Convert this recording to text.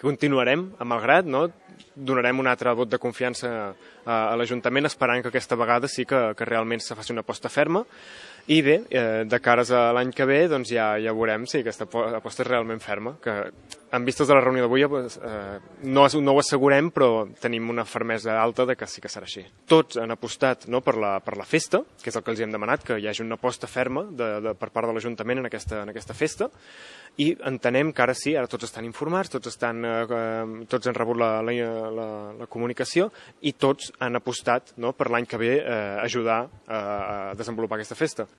continuarem, a malgrat, no? Donarem un altre vot de confiança a l'Ajuntament, esperant que aquesta vegada sí que realment se faci una aposta ferma. I bé, de cares a l'any que ve, doncs ja veurem si aquesta aposta és realment ferma, que en vistes de la reunió d'avui no ho assegurem, però tenim una fermesa alta de que sí que serà així. Tots han apostat, no, per la festa, que és el que els hem demanat, que hi hagi una aposta ferma per part de l'Ajuntament en aquesta festa, i entenem que ara sí, ara tots estan informats, tots han rebut la comunicació i tots han apostat, no, per l'any que ve ajudar a desenvolupar aquesta festa.